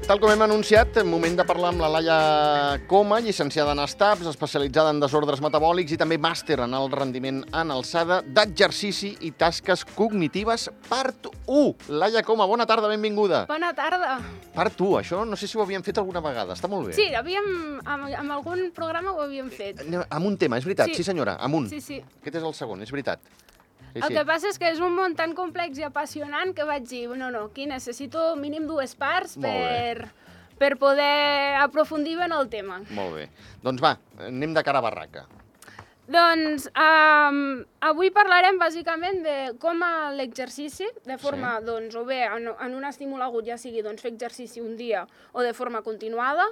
Tal com hem anunciat, moment de parlar amb la Laia Coma, llicenciada en ESTAPS, especialitzada en desordres metabòlics i també màster en alt rendiment en alçada d'exercici i tasques cognitives, part 1. Laia Coma, bona tarda, benvinguda. Bona tarda. Part 1, això no sé si ho havíem fet alguna vegada, està molt bé. Sí, amb algun programa ho havíem fet. Amb un tema, és veritat, sí senyora, amb un. Sí. Aquest és el segon, és veritat. El que passa és que és un món tan complex i apassionant que vaig dir, no, aquí necessito mínim 2 parts per poder aprofundir en el tema. Molt bé. Doncs va, anem de cara a barraca. Doncs avui parlarem bàsicament de com l'exercici, de forma, doncs, o bé en un estímul agut, ja sigui fer exercici un dia o de forma continuada,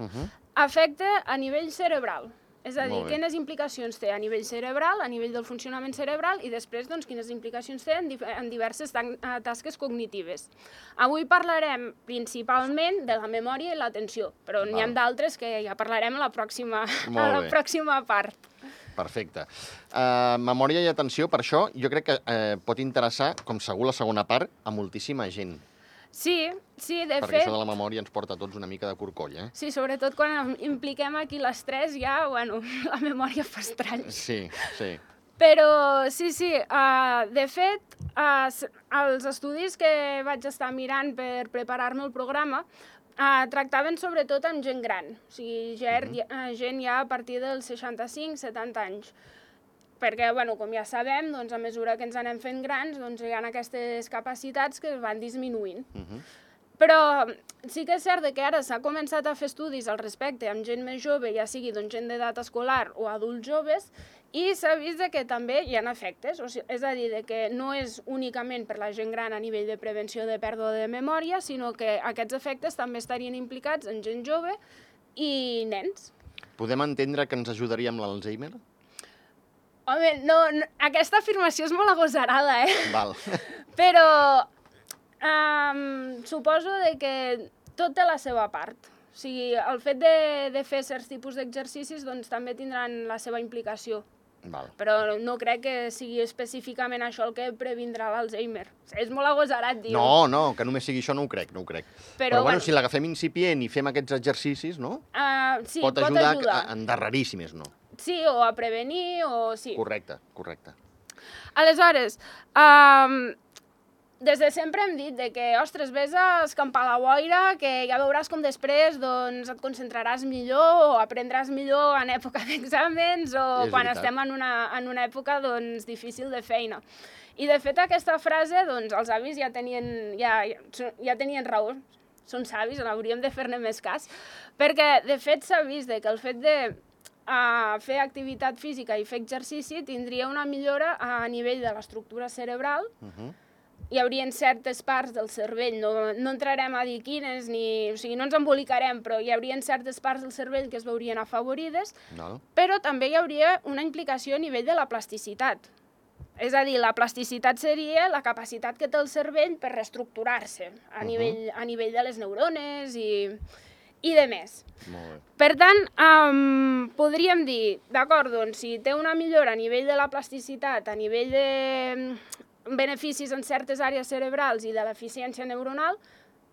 afecta a nivell cerebral. És a dir, quines implicacions té a nivell cerebral, a nivell del funcionament cerebral i després quines implicacions té en diverses tasques cognitives. Avui parlarem principalment de la memòria i l'atenció, però n'hi ha d'altres que ja parlarem a la pròxima part. Perfecte. Memòria i atenció, per això jo crec que pot interessar, com segur la segona part, a moltíssima gent. Sí, de fet... Perquè això de la memòria ens porta a tots una mica de corcoll, eh? Sí, sobretot quan impliquem aquí l'estrès ja, la memòria fa estrany. Sí. Però sí, de fet, els estudis que vaig estar mirant per preparar-me el programa tractaven sobretot amb gent gran, o sigui, gent ja a partir dels 65-70 anys. Perquè, com ja sabem, a mesura que ens anem fent grans, hi ha aquestes capacitats que van disminuint. Però sí que és cert que ara s'ha començat a fer estudis al respecte amb gent més jove, ja sigui gent d'edat escolar o adults joves, i s'ha vist que també hi ha efectes. És a dir, que no és únicament per la gent gran a nivell de prevenció de pèrdua de memòria, sinó que aquests efectes també estarien implicats en gent jove i nens. Podem entendre que ens ajudaria amb l'Alzheimer? Home, no, aquesta afirmació és molt agosarada, Val. Però suposo que tot té la seva part. O sigui, el fet de fer certs tipus d'exercicis també tindran la seva implicació. Val. Però no crec que sigui específicament això el que previndrà l'Alzheimer. És molt agosarat dir-ho. No, que només sigui això no ho crec. Però si l'agafem incipient i fem aquests exercicis, no? Sí, pot ajudar a endarrerir, si més no. Sí, o a prevenir, o sí. Correcte. Aleshores, des de sempre hem dit que, ostres, vés a escampar la boira, que ja veuràs com després et concentraràs millor o aprendràs millor en època d'exàmens o quan estem en una època difícil de feina. I, de fet, aquesta frase, els avis ja tenien raó. Són savis, hauríem de fer-ne més cas, perquè, de fet, s'ha vist que el fet de fer activitat física i fer exercici tindria una millora a nivell de l'estructura cerebral. Hi haurien certes parts del cervell, no entrarem a dir quines, o sigui, no ens embolicarem, però hi haurien certes parts del cervell que es veurien afavorides, però també hi hauria una implicació a nivell de la plasticitat. És a dir, la plasticitat seria la capacitat que té el cervell per reestructurar-se a nivell de les neurones i de més. Per tant, podríem dir, d'acord, si té una millora a nivell de la plasticitat, a nivell de beneficis en certes àrees cerebrals i de l'eficiència neuronal,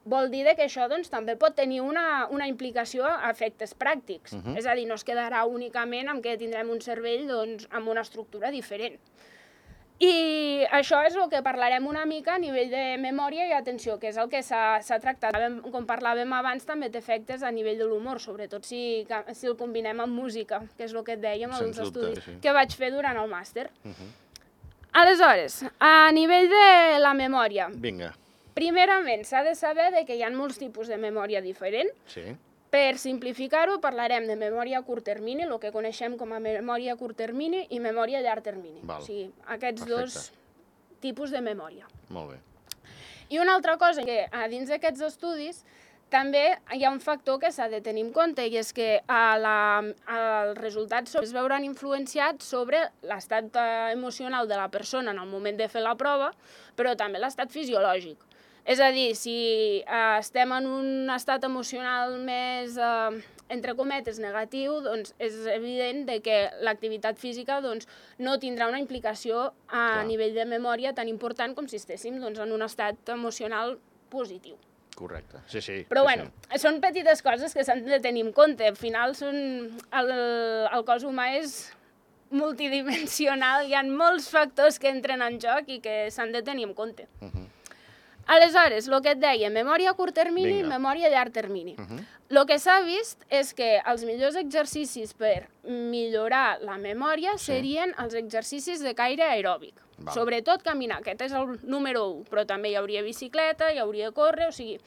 vol dir que això també pot tenir una implicació a efectes pràctics. És a dir, no es quedarà únicament amb que tindrem un cervell amb una estructura diferent. I això és el que parlarem una mica a nivell de memòria i atenció, que és el que s'ha tractat. Com parlàvem abans, també té efectes a nivell de l'humor, sobretot si el combinem amb música, que és el que et dèiem als estudis que vaig fer durant el màster. Aleshores, a nivell de la memòria, primerament s'ha de saber que hi ha molts tipus de memòria diferent. Per simplificar-ho, parlarem de memòria a curt termini, el que coneixem com a memòria a curt termini, i memòria a llarg termini. O sigui, aquests dos tipus de memòria. Molt bé. I una altra cosa, que dins d'aquests estudis també hi ha un factor que s'ha de tenir en compte, i és que els resultats es veuran influenciats sobre l'estat emocional de la persona en el moment de fer la prova, però també l'estat fisiològic. És a dir, si estem en un estat emocional més, entre cometes, negatiu, doncs és evident que l'activitat física no tindrà una implicació a nivell de memòria tan important com si estéssim en un estat emocional positiu. Correcte, sí. Però bueno, són petites coses que s'han de tenir en compte. Al final el cos humà és multidimensional, hi ha molts factors que entren en joc i que s'han de tenir en compte. Aleshores, el que et deia, memòria a curt termini i memòria a llarg termini. El que s'ha vist és que els millors exercicis per millorar la memòria serien els exercicis de caire aeròbic. Sobretot caminar, aquest és el número 1, però també hi hauria bicicleta, hi hauria córrer, o sigui,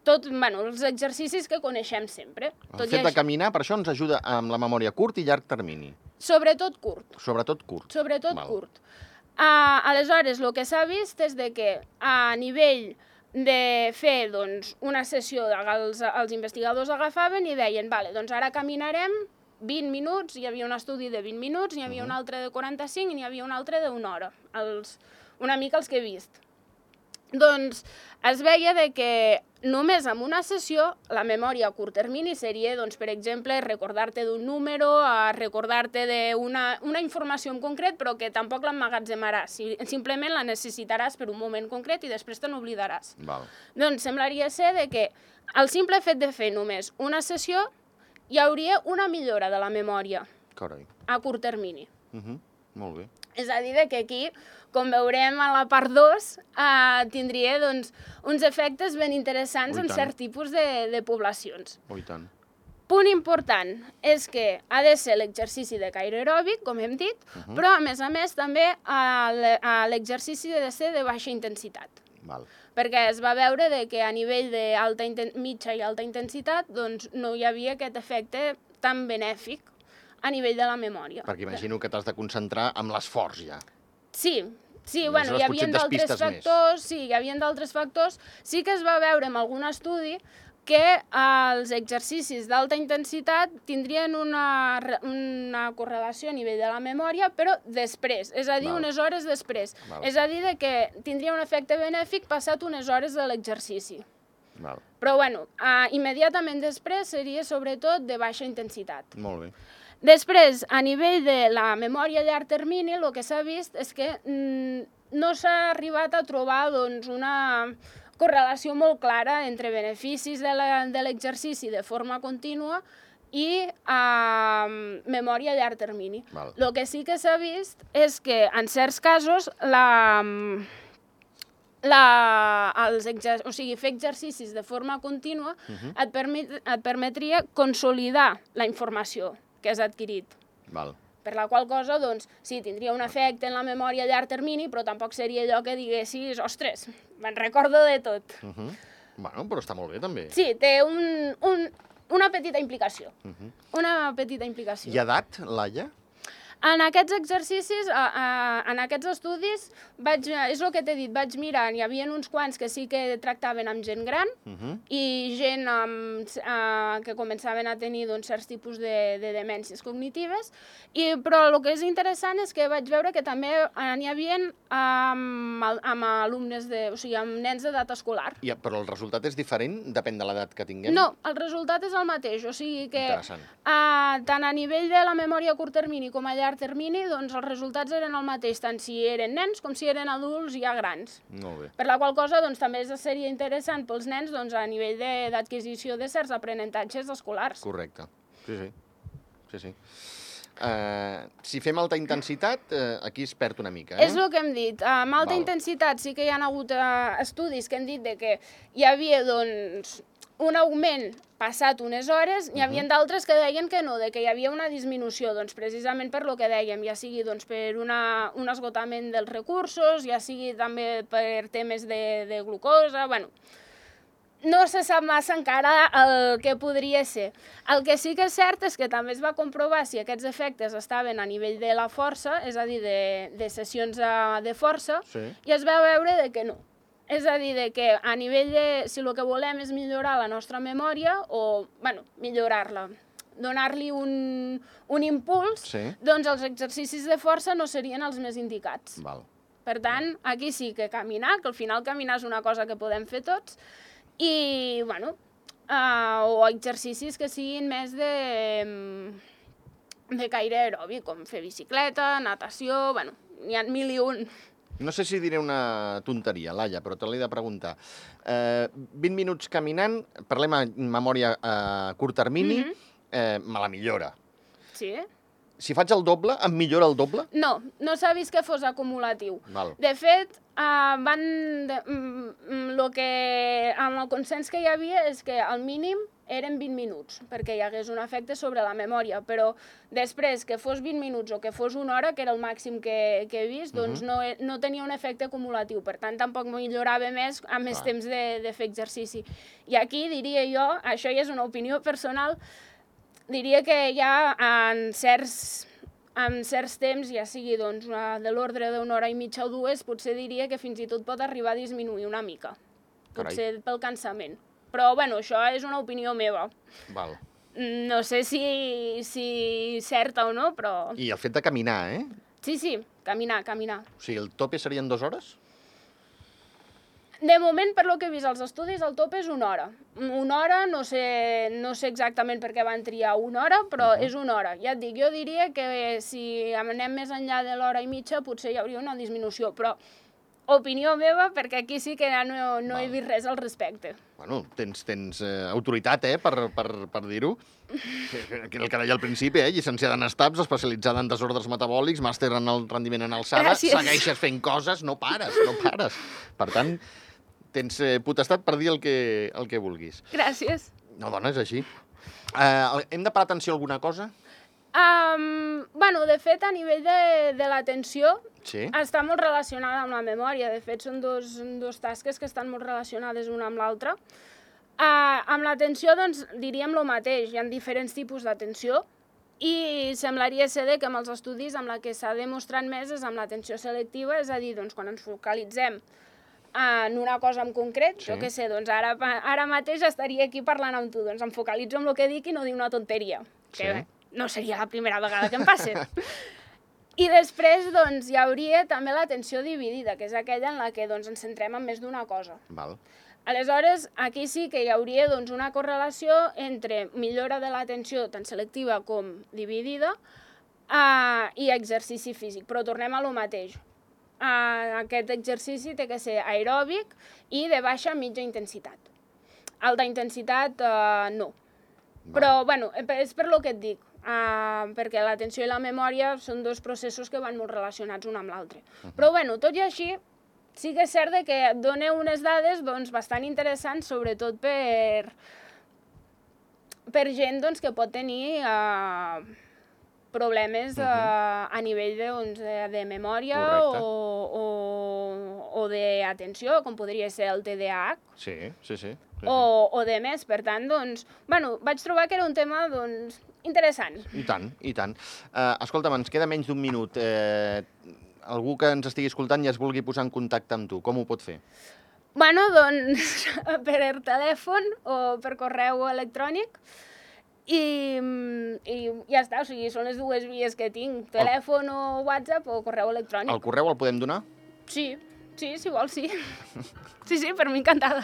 els exercicis que coneixem sempre. El fet de caminar, per això ens ajuda amb la memòria a curt i llarg termini. Sobretot curt. Sobretot curt. Sobretot curt. Aleshores, el que s'ha vist és que a nivell de fer una sessió, els investigadors agafaven i deien, doncs ara caminarem 20 minuts, hi havia un estudi de 20 minuts, n'hi havia un altre de 45 i n'hi havia un altre d'una hora, una mica els que he vist. Doncs es veia que només amb una sessió la memòria a curt termini seria, per exemple, recordar-te d'un número, recordar-te d'una informació en concret, però que tampoc l'emmagatzemaràs. Simplement la necessitaràs per un moment concret i després te n'oblidaràs. Doncs semblaria ser que el simple fet de fer només una sessió hi hauria una millora de la memòria a curt termini. Molt bé. És a dir, que aquí, com veurem a la part 2, tindria uns efectes ben interessants en cert tipus de poblacions. Oh, i tant. Punt important és que ha de ser l'exercici de caire aeròbic, com hem dit, però a més també l'exercici ha de ser de baixa intensitat. Perquè es va veure que a nivell de mitja i alta intensitat no hi havia aquest efecte tan benèfic a nivell de la memòria. Perquè imagino que t'has de concentrar amb l'esforç ja. Sí, hi havia d'altres factors, sí que es va veure en algun estudi que els exercicis d'alta intensitat tindrien una correlació a nivell de la memòria, però després, és a dir, unes hores després. És a dir, que tindria un efecte benèfic passat unes hores de l'exercici. Però, immediatament després seria sobretot de baixa intensitat. Molt bé. Després, a nivell de la memòria a llarg termini, el que s'ha vist és que no s'ha arribat a trobar una correlació molt clara entre beneficis de l'exercici de forma contínua i memòria a llarg termini. El que sí que s'ha vist és que, en certs casos, fer exercicis de forma contínua et permetria consolidar la informació que has adquirit. Per la qual cosa, sí, tindria un efecte en la memòria a llarg termini, però tampoc seria allò que diguessis, ostres, me'n recordo de tot. Però està molt bé, també. Sí, té una petita implicació. Una petita implicació. I edat, Laia? En aquests exercicis, en aquests estudis, és el que t'he dit, vaig mirar, hi havia uns quants que sí que tractaven amb gent gran i gent que començaven a tenir certs tipus de demències cognitives, però el que és interessant és que vaig veure que també n'hi havia amb alumnes, o sigui, amb nens d'edat escolar. Però el resultat és diferent? Depèn de l'edat que tinguem? No, el resultat és el mateix, o sigui que tant a nivell de la memòria a curt termini com a llarg termini, els resultats eren el mateix, tant si eren nens com si eren adults ja grans. Molt bé. Per la qual cosa també seria interessant pels nens a nivell d'adquisició de certs aprenentatges escolars. Correcte. Sí. Si fem alta intensitat, aquí es perd una mica. És el que hem dit. Amb alta intensitat sí que hi ha hagut estudis que han dit que hi havia un augment passat unes hores, n'hi havia d'altres que deien que no, que hi havia una disminució, precisament per el que dèiem, ja sigui per un esgotament dels recursos, ja sigui també per temes de glucosa, no se sap massa encara el que podria ser. El que sí que és cert és que també es va comprovar si aquests efectes estaven a nivell de la força, és a dir, de sessions de força, i es va veure que no. És a dir, que a nivell de, si el que volem és millorar la nostra memòria, o, millorar-la, donar-li un impuls, doncs els exercicis de força no serien els més indicats. Per tant, aquí sí que caminar, que al final caminar és una cosa que podem fer tots, i, o exercicis que siguin més de caire aeròbic, com fer bicicleta, natació, n'hi ha 1000 i un. No sé si diré una tonteria, Laia, però te l'he de preguntar. 20 minuts caminant, parlem en memòria a curt termini, me la millora. Sí. Si faig el doble, em millora el doble? No, no s'ha vist que fos acumulatiu. Val. De fet, amb el consens que hi havia és que el mínim eren 20 minuts, perquè hi hagués un efecte sobre la memòria, però després que fos 20 minuts o que fos una hora, que era el màxim que he vist, doncs no tenia un efecte acumulatiu, per tant tampoc millorava més amb més temps de fer exercici. I aquí diria jo, això ja és una opinió personal, diria que ja en certs temps, ja sigui doncs, de l'ordre d'una hora i mitja o dues, potser diria que fins i tot pot arribar a disminuir una mica, potser pel cansament. Però, bueno, això és una opinió meva. Val. No sé si certa o no, però... I el fet de caminar, Sí, caminar. O sigui, el tope serien 2 hores? De moment, per lo que he vist als estudis, el tope és una hora. Una hora, no sé exactament per què van triar una hora, però és una hora. Ja et dic, jo diria que si anem més enllà de l'hora i mitja, potser hi hauria una disminució, però opinió meva, perquè aquí sí que ja no he vist res al respecte. Bueno, tens autoritat, per dir-ho. El que deia al principi, llicenciada en STAPS, especialitzada en desordres metabòlics, màster en el rendiment en alçada, segueixes fent coses, no pares. Per tant, tens potestat per dir el que vulguis. Gràcies. No, dona, és així. Hem de parar atenció a alguna cosa? De fet, a nivell de l'atenció, sí, està molt relacionada amb la memòria. De fet, són dos tasques que estan molt relacionades una amb l'altra. Amb l'atenció, doncs, diríem el mateix. Hi ha diferents tipus d'atenció i semblaria ser que amb els estudis amb la que s'ha demostrat més és amb l'atenció selectiva, és a dir, doncs, quan ens focalitzem en una cosa en concret, jo què sé, doncs ara mateix estaria aquí parlant amb tu, doncs em focalitzo en el que dic i no dic una tonteria, que no seria la primera vegada que em passa. I després, doncs, hi hauria també l'atenció dividida, que és aquella en la que ens centrem en més d'una cosa. Val. Aleshores, aquí sí que hi hauria una correlació entre millora de l'atenció tant selectiva com dividida i exercici físic, però tornem a lo mateix. Aquest exercici té que ser aeròbic i de baixa a mitja intensitat. Alta intensitat, no. Però, bueno, és per lo que et dic, perquè l'atenció i la memòria són dos processos que van molt relacionats un amb l'altre. Però, bueno, tot i així, sí que és cert que et dona unes dades bastant interessants, sobretot per gent que pot tenir problemes a nivell de memòria o d'atenció, com podria ser el TDAH. Sí. O de més. Per tant, vaig trobar que era un tema interessant. I tant. Escolta'm, ens queda menys d'un minut. Algú que ens estigui escoltant i es vulgui posar en contacte amb tu, com ho pot fer? Per telèfon o per correu electrònic. I ja està, o sigui, són les dues vies que tinc, telèfon o WhatsApp o correu electrònic. El correu el podem donar? Sí, si vols, sí. Sí, per mi encantada.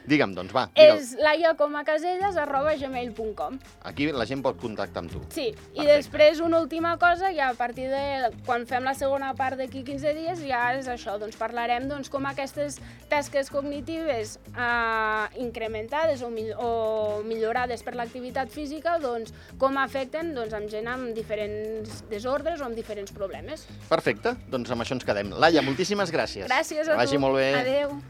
Digue'm, doncs, va. És laiacomacaselles@gmail.com. Aquí la gent pot contactar amb tu. Sí, i després una última cosa, ja a partir de quan fem la segona part d'aquí 15 dies, ja és això, parlarem com aquestes tasques cognitives incrementades o millorades per l'activitat física, com afecten amb gent amb diferents desordres o amb diferents problemes. Perfecte, doncs amb això ens quedem. Laia, moltíssimes gràcies. Gràcies a tu. Que vagi molt bé. Adéu.